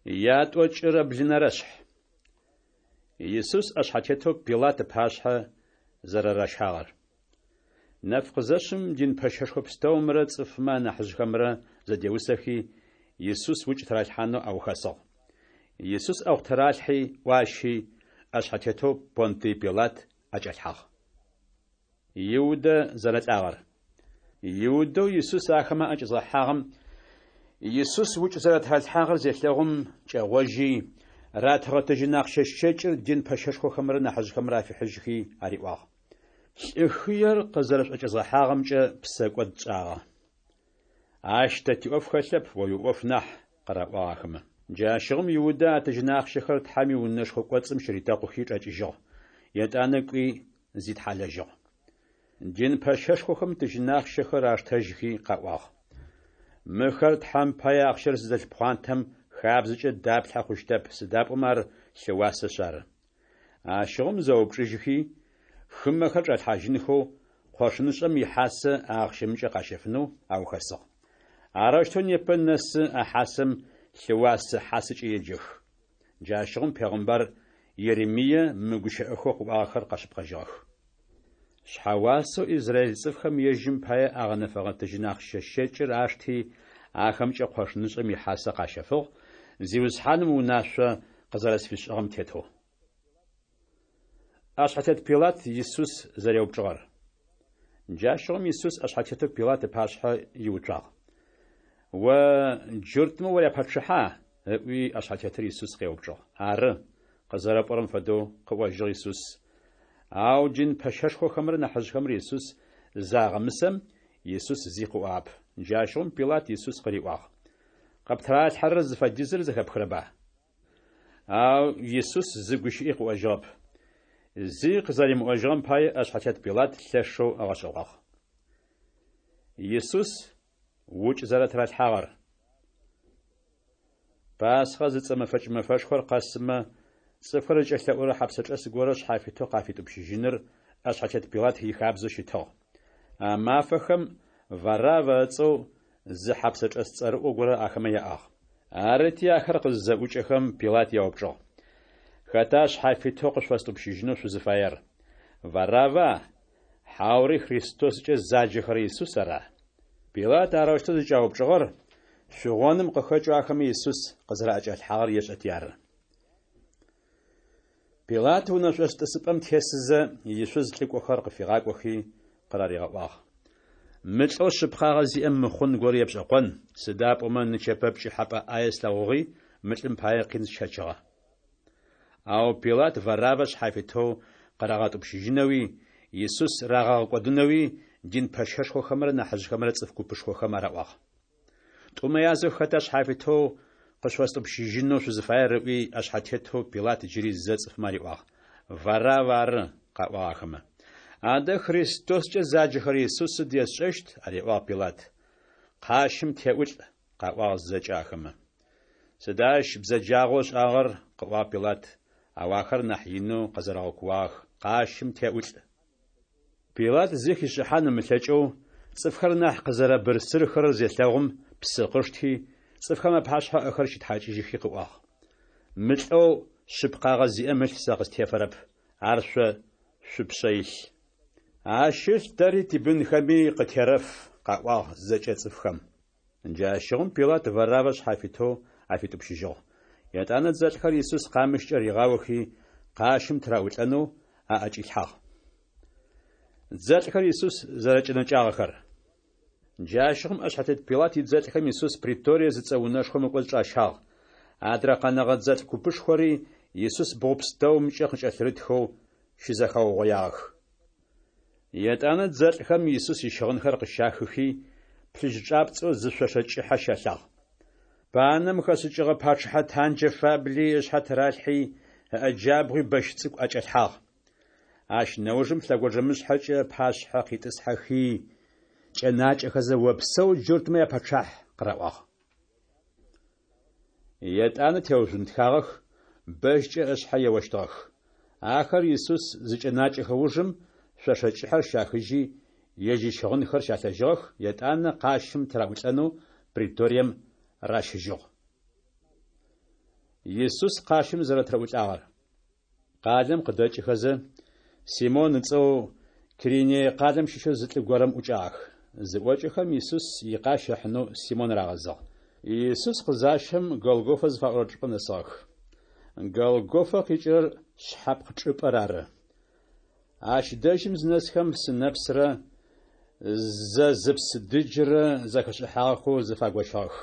Ятӏокӏырэ блынэрэшъхь. Исус ӏэшъхьэтетэу Пилат ыпашъхьэ зэрэращагъэр. Нэф къызэшъым дин пэщэшхо пстэумрэ цӏыфмэ анахьыжъхэмрэ зэдеусэхи, Исус укӏ тыралъхьанэу аухэсыгъ. Исус ӏэгъу тыралъхьи, ӏуащи, ӏэшъхьэтетэу Понтый Пилат ӏэкӏалъхьагъ. Иудэ зэрэлӏагъэр. Иудэу Исус ахэмэ аӏэкӏэзгъэхьагъэм Исус укӏ зэрэтыралъхьагъэр зелъэгъум, кӏэгъожьи, ратыгъэ тыжьын ахъщэ щэкӏыр дин пэщэшхохэмрэ нахьыжъхэмрэ афихьыжьхи ариӏуагъ: Лӏы хыер къызэрэшъуӏэкӏэзгъэхьагъэмкӏэ псэкӏод тшӏагъэ. Ащ тэ тиӏоф хэлъэп, о уиӏоф нахь, къыраӏуагъ ахэмэ. Джащыгъум Иудэ а тыжьын ахъщэхэр Тхьэм иунэшхо кӏоцӏым щыритэкъухи чӏэкӏыжьыгъ, етӏанэ кӏуи зитхьалэжьыгъ. Дин пэщэшхохэм тыжьын ахъщэхэр аштэжьхи къаӏуагъ: Мыхэр Тхьэм пае ахъщэр зыдэлъ пхъуантэм хабзэкӏэ даплъхьэ хъущтэп, сыда пӏомэ ар лъыуасэшъ ары. Ащыгъум зэупчӏыжьхи, хымэхэр чӏалъхьажьынхэу, къошынышӏэм ихьасэ а ахъщэмкӏэ къащэфынэу аухэсыгъ. Арэущтэу непэ нэсы а хьасэм лъыуасэ хьасэкӏэ еджэх. Джащыгъум пегъымбар Еремие мы гущыӏэхэу къыӏуагъэхэр къэшъыпкъэжьыгъэх. Шъхьэуасэу израиль цӏыфхэм ежьым пае агъэнэфэгъэ тыжьын ахъщэ щэкӏыр ашти, ахэмкӏэ къошынышӏэм ихьасэ къащэфыгъ, Зиусхьаным унашъо къызэрэсфишӏыгъэм тетэу. ӏэшъхьэтет Пилат Исус зэреупчӏыгъэр. Джащыгъум Исус ӏэшъхьэтетэу Пилат ыпашъхьэ иуцуагъ. О джуртмэ уряпачъыхьа? ыӏуи, ӏэшъхьэтетыр Исус къеупчӏыгъ. Ары, къызэрэпӏорэм фэдэу, къыӏожьыгъ Исус. Ау дин пэщэшхохэмрэ нахьыжъхэмрэ Исус загъэмысэм, Исус зи къыӏуагъэп. Джащыгъум Пилат Исус къыриӏуагъ: Къыптыралъхьэрэр зыфэдизыр зэхэпхырэба? Ау Исус зы гущыӏи къыӏожьыгъэп. Зи къызэримыӏожьыгъэм пае ӏэшъхьэтет Пилат лъэшэу ыгъэшӏэгъуагъ. Исус укӏ зэрэтыралъхьагъэр. Пасхъэ зыцӏэ мэфэкӏ мэфэшхор къэсымэ, цӏыфхэр зыкӏэлъэӏурэ хьэпсэчӏэс горэ шъхьафитэу къафитӏупщыжьыныр ӏэшъхьэтет Пилат ихабзэу щытыгъ. А мафэхэм Вараввэ ыцӏэу зы хьэпсэчӏэс цӏэрыӏо горэ ахэмэ яӏагъ. Арыти, ахэр къызызэӏукӏэхэм, Пилат яупчӏыгъ: Хэта шъхьафитэу къышъуфэстӏупщыжьынэу шъузыфаер? Варавва, хьаури Христоскӏэ заджэхэрэ Исус ара? Пилат арэущтэу зыкӏяупчӏыгъэр шъугъоным къыхэкӏэу ахэмэ Исус къызэраӏэкӏалъхьагъэр ешӏэти ары. Пилат унэшъошӏ тӏысыпӏэм тесызэ, ишъуз лӏыкӏохэр къыфигъакӏохи къыраригъэӏуагъ: Мы лӏэу шъыпкъагъэ зиӏэм мыхъун горэ епшӏэкъон, сыда пӏомэ нычэпэ пкӏыхьэпӏэ ӏае слъэгъугъи, мы лӏым пае къин сщэчыгъэ. Ау Пилат Вараввэ шъхьафитэу къырагъэтӏупщыжьынэуи, Исус рагъэгъэкӏодынэуи дин пэщэшхохэмрэ нахьыжъхэмрэ цӏыф купышхохэм араӏуагъ. Тӏумэ язэу хэта шъхьафитэу къышъуфэстӏупщыжьынэу шъузыфаер ыӏуи, ӏэшъхьэтетэу Пилат джыри зэ цӏыфмэ ариӏуагъ. Варавв ары, къаӏуагъ ахэмэ. Адэ Христоскӏэ заджэхэрэ Исус сыд есшӏэщт? ариӏуагъ Пилат. Къащым теӏулӏ, къаӏуагъ зэкӏэ ахэмэ. Сыда ащ бзэджагъэу ышӏагъэр? къыӏуагъ Пилат, ау ахэр нахь инэу къэзэрэгъэкууагъэх, Къащым теӏулӏ! Пилат зи хишӏыхьан ымылъэкӏэу, цӏыфхэр нахь къызэрэбырсырхэрэр зелъэгъум, псы къышти, цӏыфхэм апашъхьэ ыӏэхэр щитхьакӏыжьыхи къыӏуагъ: Мы лӏэу шъыпкъагъэ зиӏэм ылъ сэ къыстефэрэп, ар шъо шъупшъэ илъ. Ащ ылъ тэри тибынхэми къытерэф, къаӏуагъ зэкӏэ цӏыфхэм. Джащыгъум Пилат Вараввэ шъхьафитэу афитӏупщыжьыгъ. Етӏанэ дзэлӏхэр Исус къамыщкӏэ ригъаохи, къащым тыраӏулӏэнэу аӏэкӏилъхьагъ. Дзэлӏхэр Исус зэрэкӏэнэкӏагъэхэр. Джащыгъум ӏэшъхьэтет Пилат идзэлӏхэм Исус преторие зыцӏэ унэшхом ыкӏоцӏ чӏащагъ. Адрэ къэнэгъэ дзэлӏ купышхори Исус бгъу пстэумкӏэ къыкӏэлъырытхэу щызэхэугъоягъэх. Етӏанэ дзэлӏхэм Исус ищыгъынхэр къыщахыхи, плъыжь чӏапцӏэу зы шъошэ кӏыхьэ щалъагъ. Панэм хэшӏыкӏыгъэ пачъыхьэ танджэ фабли ышъхьэ тыралъхьи, ыӏэ джабгъуи бэщ цӏыкӏу ӏэкӏэлъхьагъ. Ащ нэужым лъэгонджэмышъхьэкӏэ ыпашъхьэ къитӏысхьэхи, кӏэнакӏэхэзэ Опсэу, джуртмэ япэчъахь! къыраӏуагъ. Етӏанэ теужъунтхагъэх, бэщкӏэ ышъхьэ еощтыгъэх. Ахэр Исус зыкӏэнакӏэхэ ужым, шъошэ кӏыхьэр щахыжьи, ежь ищыгъынхэр щалъэжьыгъэх, етӏанэ къащым тыраӏулӏэнэу преторием ращыжьыгъ. Исус къащым зэрэтыраӏулӏагъэр. Къалэм къыдэкӏыхэзэ, Симон ыцӏэу Киринее къалэм щыщэу зы лӏы горэм ӏукӏагъэх. Зыӏокӏэхэм, Исус икъащ ыхьынэу Симон рагъэзыгъ. Исус къызащэм, Голгофэ зыфаӏорэ чӏыпӏэм нэсыгъэх. Голгофэ къикӏырэр Шъхьэпкъ чӏыпӏэр ары. Ащ дэжьым зынэсхэм, сынэпсрэ зэзыпс дыджрэ зэхэшӏыхьагъэхэу зэфагощыгъэх.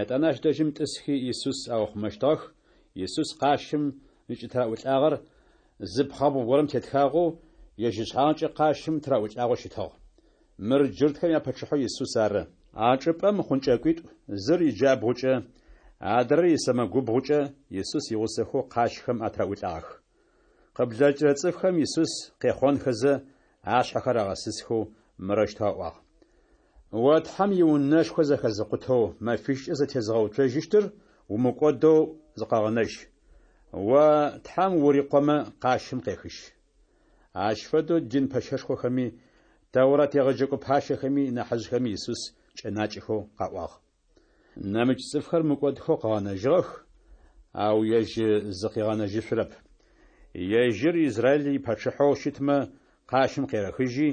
Етӏанэ ащ дэжьым тӏысхи Исус аухъумэщтыгъэх. Исус къащым зыкӏытыраӏулӏагъэр зы пхъэбгъу горэм тетхагъэу, ежь ышъхьагъкӏэ къащым тыраӏулӏагъэу щытыгъ. Мыр джуртхэм япачъыхьэу Исус ары. А чӏыпӏэм хъункӏэкӏуитӏу, зыр иджабгъукӏэ, адрэр исэмэгубгъукӏэ Исус игъусэхэу къащхэм атыраӏулӏагъэх. Къыблэкӏырэ цӏыфхэм Исус къехъонхэзэ, ашъхьэхэр агъэсысхэу мырэущтэу аӏуагъ: О Тхьэм иунэшхо зэхэзыкъутэу мэфищкӏэ зэтезыгъэуцожьыщтыр умыкӏодэу зыкъэгъэнэжь. О Тхьэм ури Къомэ къащым къехыжь. Ащ фэдэу дин пэщэшхохэми, Тэурат егъэджэкӏо пащэхэми, нахьыжъхэми Исус кӏэнакӏэхэу къаӏуагъ. Нэмыкӏ цӏыфхэр мыкӏодхэу къыгъэнэжьыгъэх, ау ежь зыкъигъэнэжьышъурэп. Ежьыр Израиль ипачъыхьэу щытмэ, къащым къерэхыжьи,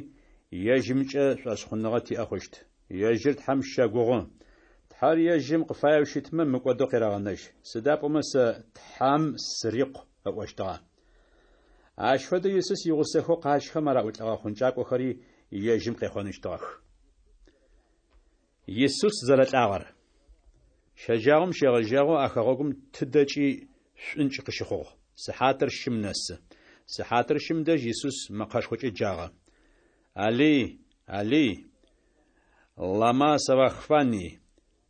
ежьымкӏэ шӏошъхъуныгъэ тиӏэ хъущт. Ежьыр Тхьэм щэгугъы. Тхьэр ежьым къыфаеу щытмэ, мыкӏодэу къерэгъэнэжь. Сыда пӏомэ сэ Тхьэм сырикъу ыӏощтыгъэ. Ащ фэдэу Исус игъусэхэу къащхэм араӏулӏэгъэ хъункӏакӏохэри ежьым къехъоныщтыгъэх. Исус зэрэлӏагъэр. Щэджагъом щегъэжьагъэу а хэгъэгум тыдэкӏи шӏункӏ къыщыхъугъ. Сыхьатыр щым нэсы. Сыхьатыр щым дэжь Исус мэкъэшхокӏэ джагъэ. Алый, Алый, лама савахфани?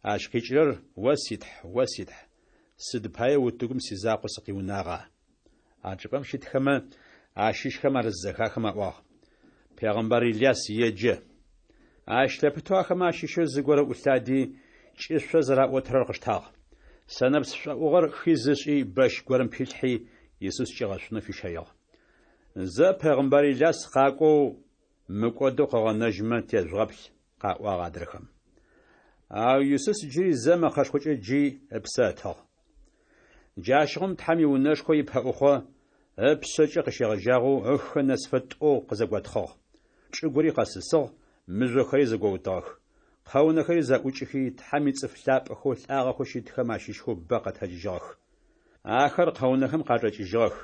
Ащ къикӏырэр, О си Тхь, о си Тхь, сыд пае утыгум сизакъоу сыкъиунагъа? А чӏыпӏэм щытхэмэ ащыщхэм ар зызэхахым аӏуагъ, Пегъымбар Иляс еджэ. Ащ лъэпытэу ахэмэ ащыщэу зыгорэ ӏулъади, кӏышъо зэраӏотырэр къыштагъ. Сэнэпс шӏоӏугъэр хиз ышӏи, бэщ горэм пилъхьи, Исус кӏигъэшъунэу фищэигъ. Зэ пегъымбар Иляс къакӏоу, мыкӏодэу къыгъэнэжьмэ тежъугъэплъ, къаӏуагъ адрэхэм. Ау Исус джыри зэ мэкъэшхокӏэ джи ыпсэ ытыгъ. Джащыгъум Тхьэм иунэшхо ипэӏухъо ыпшъэкӏэ къыщегъэжьагъэу ыхэ нэсыфэ тӏоу къызэготхъыгъ. Чӏыгури къэсысыгъ, мыжъохэри зэгоутыгъэх. Къэунэхэри зэӏукӏыхи, Тхьэм ицӏыф лъапӏэхэу лӏагъэхэу щытхэм ащыщхэу бэ къэтэджыжьыгъэх. Ахэр къэунэхэм къачӏэкӏыжьыгъэх.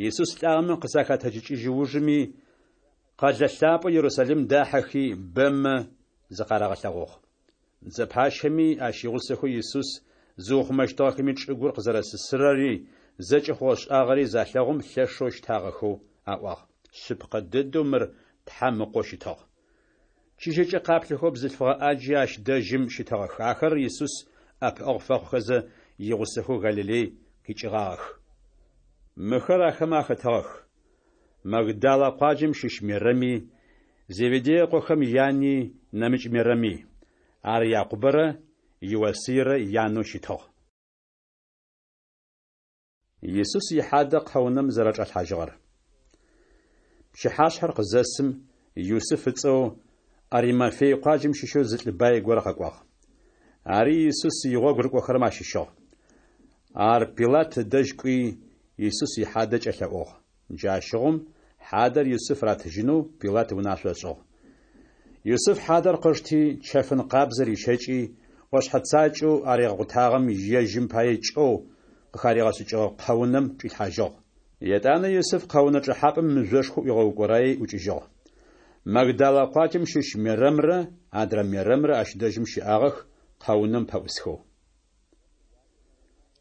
Исус лӏагъэмэ къызахэтэджыкӏыжь ужыми, къэлэ лъапӏэу Ерусалим дахьэхи, бэмэ зыкъарагъэлъэгъугъ. Дзэ пащэми, ащ игъусэхэу Исус зыухъумэщтыгъэхэми чӏыгур къызэрэсысырэри, зэкӏэ хъугъэ-шӏагъэри залъэгъум лъэшэу щтагъэхэу аӏуагъ: Шъыпкъэ дэдэу мыр Тхьэм Ыкъоу щытыгъ. Чыжьэкӏэ къаплъэхэу бзылъфыгъэ ӏаджи ащ дэжьым щытыгъэх. Ахэр Исус ӏэпыӏэгъу фэхъухэзэ игъусэхэу Галилей къикӏыгъагъэх. Мыхэр ахэмэ ахэтыгъэх: Магдалэ къуаджэм щыщ Мерэми, Зеведей ыкъохэм яни, нэмыкӏ Мерэми. Ар Якъубэрэ Иосыйрэ янэу щытыгъ. Исус ихьадэ къэунэм зэрэчӏалъхьажьыгъэр. Пчыхьашъхьэр къызэсым, Юсыф ыцӏэу Аримафей къуаджэм щыщэу зы лӏы бай горэ къэкӏуагъ. Ари Исус игъогу рыкӏохэрэм ащыщыгъ. Ар Пилат ыдэжь кӏуи, Исус ихьадэ кӏэлъэӏугъ. Джащыгъум хьадэр Юсыф ратыжьынэу Пилат унашъо ышӏыгъ. Юсыф хьадэр къышти, чэфын къабзэ рищэкӏи, ӏошъхьэ цакӏэу аригъэкъутагъэм ежьым пае кӏэу къыхаригъэшӏыкӏыгъэ къэунэм чӏилъхьажьыгъ. Етӏанэ Юсыф къэунэ чӏэхьапӏэм мыжъошхо ӏуигъэукӏораий ӏукӏыжьыгъ. Магдалэ къуаджэм щыщ Мерэмрэ адрэ Мерэмрэ ащ дэжьым щыӏагъэх, къэунэм пэӏусхэу.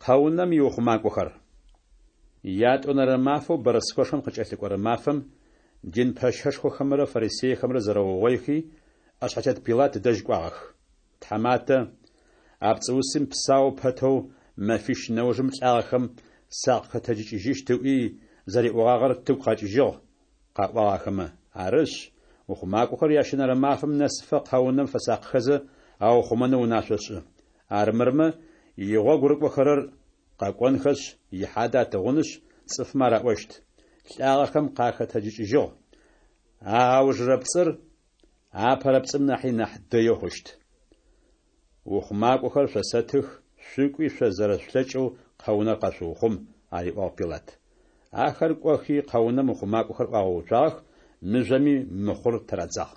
Къэунэм иухъумакӏохэр. Ятӏонэрэ мафэу бэрэскэшхом къыкӏэлъыкӏорэ мафэм дин пэщэшхохэмрэ фарисейхэмрэ зэрэугъоихи, ӏэшъхьэтет Пилат ыдэжь кӏуагъэх. Тхьаматэ, а пцӏыусым псау пэтэу мэфищ нэужым лӏагъэхэм сакъыхэтэджыкӏыжьыщт ыӏуи зэриӏогъагъэр тыгу къэкӏыжьыгъ, къаӏуагъ ахэмэ. Арышъ, ухъумакӏохэр ящэнэрэ мафэм нэсыфэ къэунэм фэсакъхэзэ аухъумэнэу унашъо шӏы. Армырмэ, игъогу рыкӏохэрэр къэкӏонхэшъ, ихьадэ атыгъунышъ, цӏыфмэ араӏощт: Лӏагъэхэм къахэтэджыкӏыжьыгъ. А аужырэ пцӏыр апэрэ пцӏым нахьи нахь дэеу хъущт. Ухъумакӏохэр шъосэтых, Шъукӏуи шъо зэрэшъулъэкӏэу къэунэр къэшъуухъум, ариӏуагъ Пилат. Ахэр кӏохи, къэунэм ухъумакӏохэр ӏуагъэуцуагъэх, мыжъоми мыхъур тырадзагъ.